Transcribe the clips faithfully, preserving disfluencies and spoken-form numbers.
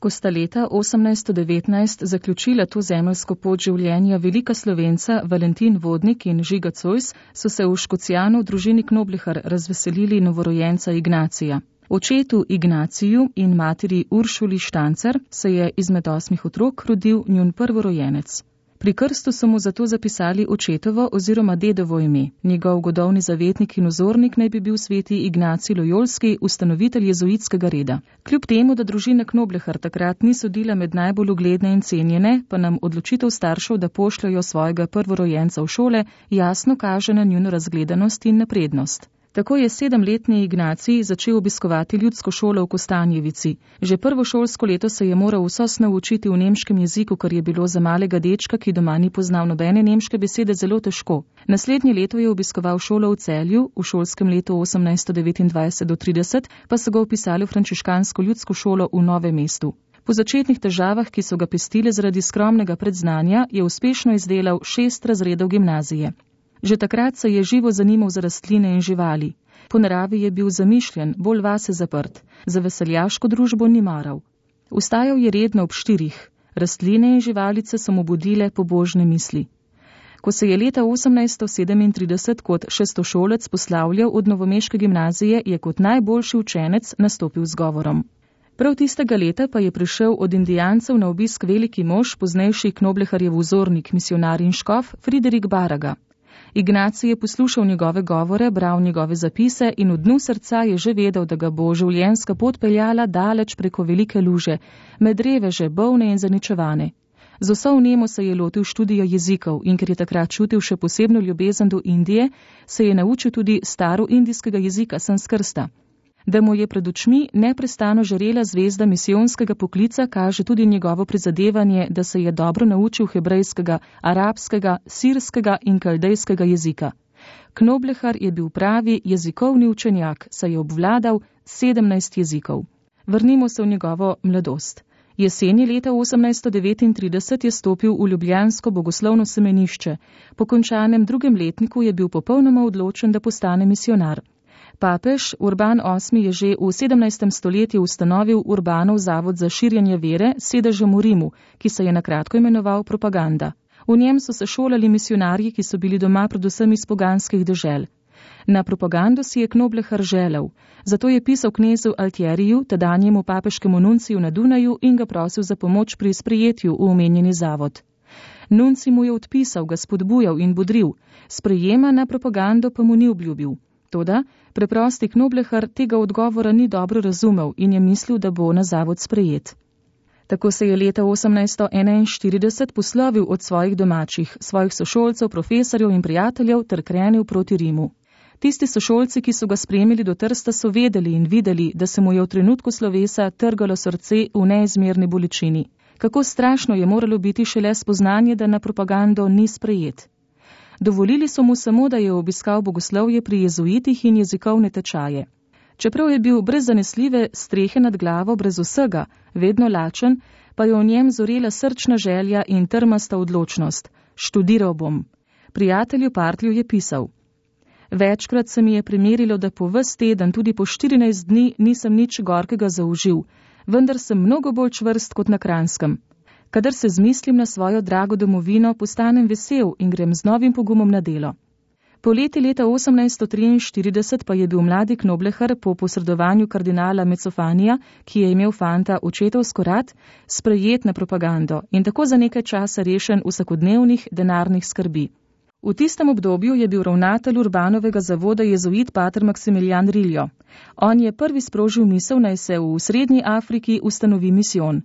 Ko sta leta osemnajststo devetnajst zaključila to zemeljsko pot življenja velika Slovenca Valentin Vodnik in Žiga Zois, so se v Škocjanu v družini Knoblihar razveselili novorojenca Ignacija. Očetu Ignaciju in materi Uršuli Štancer se je izmed osmih otrok rodil njun prvorojenec. Pri krstu so mu zato zapisali očetovo oziroma dedovo ime. Njegov godovni zavetnik in vzornik naj bi bil sveti Ignacij Lojolski, ustanovitelj jezuitskega reda. Kljub temu, da družina Knoblihar takrat ni sodila med najbolj ugledne in cenjene, pa nam odločitev staršev, da pošljajo svojega prvorojenca v šole, jasno kaže na njuno razgledanost in naprednost. Tako je sedemletni Ignacij začel obiskovati ljudsko šolo v Kostanjevici. Že prvo šolsko leto se je moral vso snov učiti v nemškem jeziku, kar je bilo za malega dečka, ki doma ni poznal nobene nemške besede, zelo težko. Naslednje leto je obiskoval šolo v Celju, v šolskem letu osemnajststo devetindvajset do trideset pa so ga vpisali v frančiškansko ljudsko šolo v Novem mestu. Po začetnih težavah, ki so ga pestile zaradi skromnega predznanja, je uspešno izdelal šest razredov gimnazije. Že takrat se je živo zanimal za rastline in živali. Po naravi je bil zamišljen, bolj vase zaprt, za veseljaško družbo ni maral. Vstajal je redno ob štirih. Rastline in živalice so mu budile pobožne misli. Ko se je leta osemnajststo sedemintrideset kot šestošolec poslavljal od novomeške gimnazije, je kot najboljši učenec nastopil z govorom. Prav tistega leta pa je prišel od indijancev na obisk veliki mož, poznejši Knobliharjev vzornik, misionar in škof Friderik Baraga. Ignacij je poslušal njegove govore, bral njegove zapise in v dnu srca je že vedel, da ga bo življenjska pot peljala daleč preko velike luže, med reveže, bolne in zaničevane. Z vso vnemo se je lotil študija jezikov in ker je takrat čutil še posebno ljubezen do Indije, se je naučil tudi staro indijskega jezika sanskrta. Da mu je pred očmi neprestano žarela zvezda misijonskega poklica, kaže tudi njegovo prizadevanje, da se je dobro naučil hebrejskega, arabskega, sirskega in kaldejskega jezika. Knoblihar je bil pravi jezikovni učenjak, saj je obvladal sedemnajst jezikov. Vrnimo se v njegovo mladost. Jeseni leta osemnajststo devetintrideset je stopil v ljubljansko bogoslovno semenišče. Po končanem drugem letniku je bil popolnoma odločen, da postane misionar. Papež Urban osmi je že v sedemnajstem stoletju ustanovil Urbanov zavod za širjenje vere s sedežem v Rimu, ki se je na kratko imenoval Propaganda. V njem so se šolali misionarji, ki so bili doma predvsem iz poganskih dežel. Na propagando si je Knoblihar želel, zato je pisal knezu Altjeriju, tedanjemu papeškemu nunciju na Dunaju, in ga prosil za pomoč pri sprejetju v omenjeni zavod. Nunci mu je odpisal, ga spodbujal in bodril, sprejema na propagando pa mu ni obljubil. Toda preprosti Knoblihar tega odgovora ni dobro razumel in je mislil, da bo na zavod sprejet. Tako se je leta osemnajststo enainštirideset poslovil od svojih domačih, svojih sošolcev, profesorjev in prijateljev ter krenil proti Rimu. Tisti sošolci, ki so ga spremili do Trsta, so vedeli in videli, da se mu je v trenutku slovesa trgalo srce v neizmerni bolečini. Kako strašno je moralo biti šele spoznanje, da na propagando ni sprejet. Dovolili so mu samo, da je obiskal bogoslovje pri jezuitih in jezikovne tečaje. Čeprav je bil brez zanesljive strehe nad glavo, brez vsega, vedno lačen, pa je v njem zorela srčna želja in trmasta odločnost. Študiral bom. Prijatelju Partlju je pisal: Večkrat se mi je primerilo, da po ves teden, tudi po štirinajst dni, nisem nič gorkega zaužil, vendar sem mnogo bolj čvrst kot na Kranjskem. Kadar se zmislim na svojo drago domovino, postanem vesel in grem z novim pogumom na delo. Poleti leta osemnajststo triinštirideset pa je bil mladi Knoblihar po posredovanju kardinala Mezzofanija, ki je imel fanta očetovsko rad, sprejet na propagando in tako za nekaj časa rešen vsakodnevnih denarnih skrbi. V tistem obdobju je bil ravnatelj Urbanovega zavoda jezuit pater Maksimilijan Riljo. On je prvi sprožil misel, naj se v Srednji Afriki ustanovi misijon.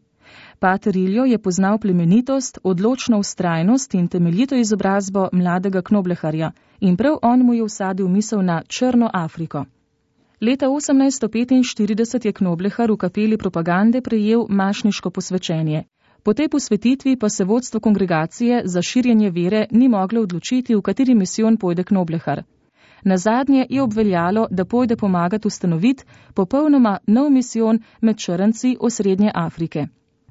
Pater Riljo je poznal plemenitost, odločno vztrajnost in temeljito izobrazbo mladega Knobliharja in prav on mu je vsadil misel na Črno Afriko. Leta osemnajststo petinštirideset je Knoblihar v kapeli propagande prejel mašniško posvečenje. Po tej posvetitvi pa se vodstvo kongregacije za širjenje vere ni moglo odločiti, v kateri misijon pojde Knoblihar. Nazadnje je obveljalo, da pojde pomagati ustanoviti popolnoma nov misijon med črnci osrednje Afrike.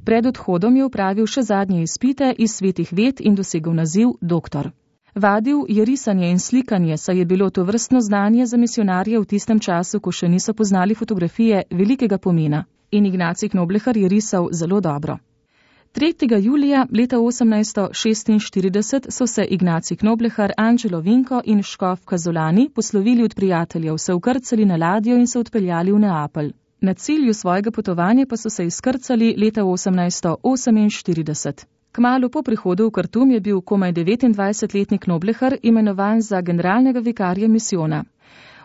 Pred odhodom je opravil še zadnje izpite iz svetih ved in dosegel naziv doktor. Vadil je risanje in slikanje, saj je bilo to vrstno znanje za misionarje v tistem času, ko še niso poznali fotografije, velikega pomena. in Ignacij Knoblechar je risal zelo dobro. tretjega julija leta osemnajststo šestinštirideset so se Ignacij Knoblechar, Anđelo Vinko in škof Kazolani poslovili od prijateljev, se vkrcali na ladjo in se odpeljali v Neapelj. Na cilju svojega potovanja pa so se izkrcali leta osemnajststo oseminštirideset. Kmalu po prihodu v Kartum je bil komaj devetindvajsetletni Knoblechar imenovan za generalnega vikarja misijona.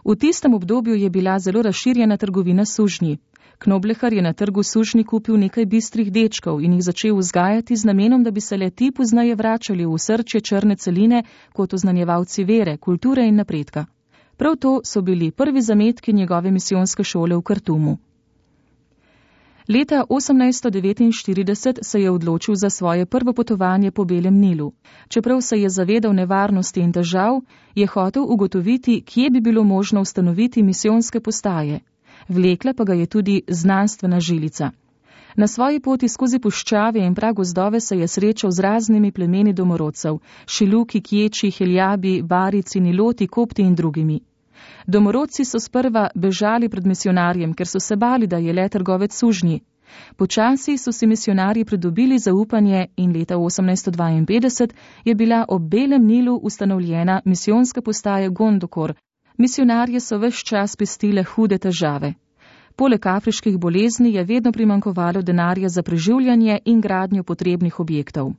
V tistem obdobju je bila zelo razširjena trgovina s sužnji. Knoblechar je na trgu sužnji kupil nekaj bistrih dečkov in jih začel vzgajati z namenom, da bi se le ti poznaje vračali v srčje črne celine kot oznanjevalci vere, kulture in napredka. Prav to so bili prvi zametki njegove misijonske šole v Kartumu. Leta osemnajststo devetinštirideset se je odločil za svoje prvo potovanje po Belem Nilu. Čeprav se je zavedal nevarnosti in težav, je hotel ugotoviti, kje bi bilo možno ustanoviti misijonske postaje. Vlekla pa ga je tudi znanstvena žilica. Na svoji poti skozi puščave in pragozdove se je srečal z raznimi plemeni domorodcev, Šiluki, Kječi, Heljabi, Barici, Niloti, Kopti in drugimi. Domorodci so sprva bežali pred misionarjem, ker so se bali, da je le trgovec sužnji. Počasi so si misionarji pridobili zaupanje in leta osemnajststo dvainpetdeset je bila ob Belem Nilu ustanovljena misijonska postaja Gondokor. Misionarje so ves čas pestile hude težave. Poleg afriških bolezni je vedno primanjkovalo denarja za preživljanje in gradnjo potrebnih objektov.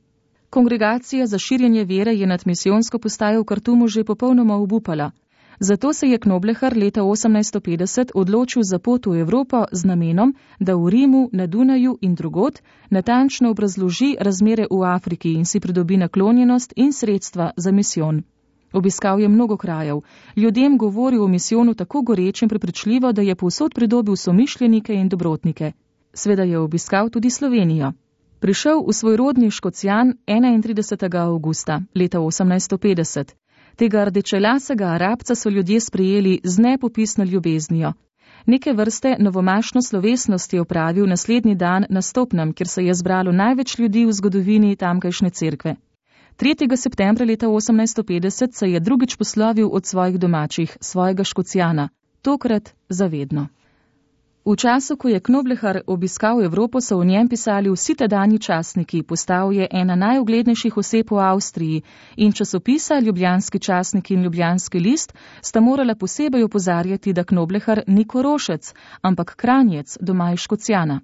Kongregacija za širjenje vere je nad misijonsko postajo v Kartumu že popolnoma obupala. Zato se je Knoblechar leta osemnajststo petdeset odločil za pot v Evropo z namenom, da v Rimu, na Dunaju in drugod natančno obrazloži razmere v Afriki in si pridobi naklonjenost in sredstva za misijon. Obiskal je mnogo krajev, ljudem govoril o misijonu tako goreč in prepričljivo, da je povsod pridobil somišljenike in dobrotnike. Sveda je obiskal tudi Slovenijo. Prišel v svoj rodni Škocjan enaintridesetega avgusta leta osemnajststo petdeset. Tega rdečelasega Arabca so ljudje sprejeli z nepopisno ljubeznijo. Neke vrste novomašno slovesnost je opravil naslednji dan na Stopnem, kjer se je zbralo največ ljudi v zgodovini tamkajšnje cerkve. tretjega septembra leta osemnajststo petdeset se je drugič poslovil od svojih domačih, svojega Škocjana, tokrat zavedno. V času, ko je Knoblechar obiskal Evropo, so o njem pisali vsi tedanji časniki, postal je ena najuglednejših oseb v Avstriji in časopisa Ljubljanski časnik in Ljubljanski list sta morala posebej opozarjati, da Knoblechar ni Korošec, ampak Kranjec, doma iz Škocjana.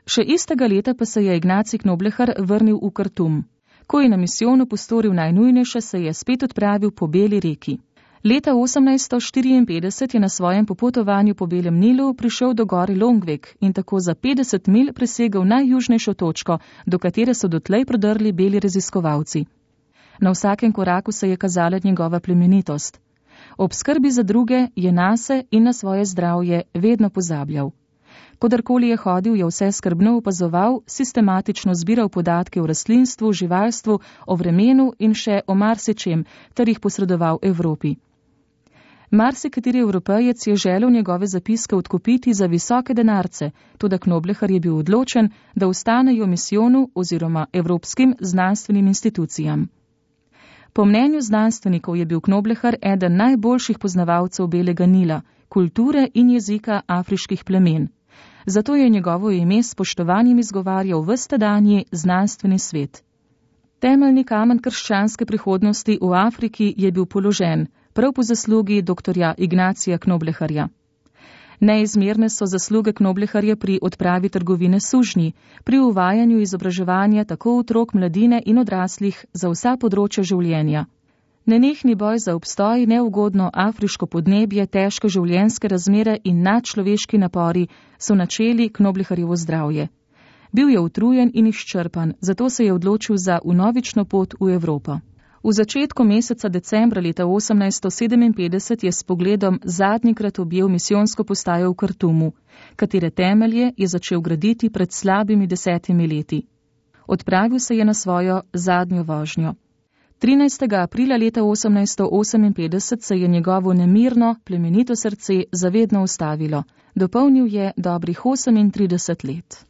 Še istega leta pa se je Ignacij Knoblechar vrnil v Kartum. Ko je na misijonu postoril najnujnejše, se je spet odpravil po Beli reki. Leta osemnajststo štiriinpetdeset je na svojem popotovanju po Belem Nilu prišel do gore Longvek in tako za petdeset milj presegel najjužnejšo točko, do katere so dotlej prodrli beli raziskovalci. Na vsakem koraku se je kazala njegova plemenitost. Ob skrbi za druge je nase in na svoje zdravje vedno pozabljal. Kodarkoli je hodil, je vse skrbno opazoval, sistematično zbiral podatke o rastlinstvu, živalstvu, o vremenu in še o marsičem, ter jih posredoval Evropi. Marsikateri Evropejec je želel njegove zapiske odkupiti za visoke denarce, toda Knoblechar je bil odločen, da ostanejo misijonu oziroma evropskim znanstvenim institucijam. Po mnenju znanstvenikov je bil Knoblechar eden najboljših poznavalcev Belega Nila, kulture in jezika afriških plemen. Zato je njegovo ime s spoštovanjem izgovarjal ves tedanji znanstveni svet. Temeljni kamen krščanske prihodnosti v Afriki je bil položen, prav po zaslugi doktorja Ignacija Knoblecharja. Neizmerne so zasluge Knoblecharja pri odpravi trgovine sužnji, pri uvajanju izobraževanja tako otrok, mladine in odraslih za vsa področja življenja. Nenehni boj za obstoj, neugodno afriško podnebje, težke življenjske razmere in nadčloveški napori so načeli Knoblecharjevo zdravje. Bil je utrujen in izčrpan, zato se je odločil za vnovično pot v Evropo. V začetku meseca decembra leta osemnajststo sedeminpetdeset je s pogledom zadnjikrat objel misijonsko postajo v Kartumu, katere temelje je začel graditi pred slabimi desetimi leti. Odpravil se je na svojo zadnjo vožnjo. trinajstega aprila leta osemnajststo oseminpetdeset se je njegovo nemirno, plemenito srce zavedno ustavilo. Dopolnil je dobrih osemintrideset let.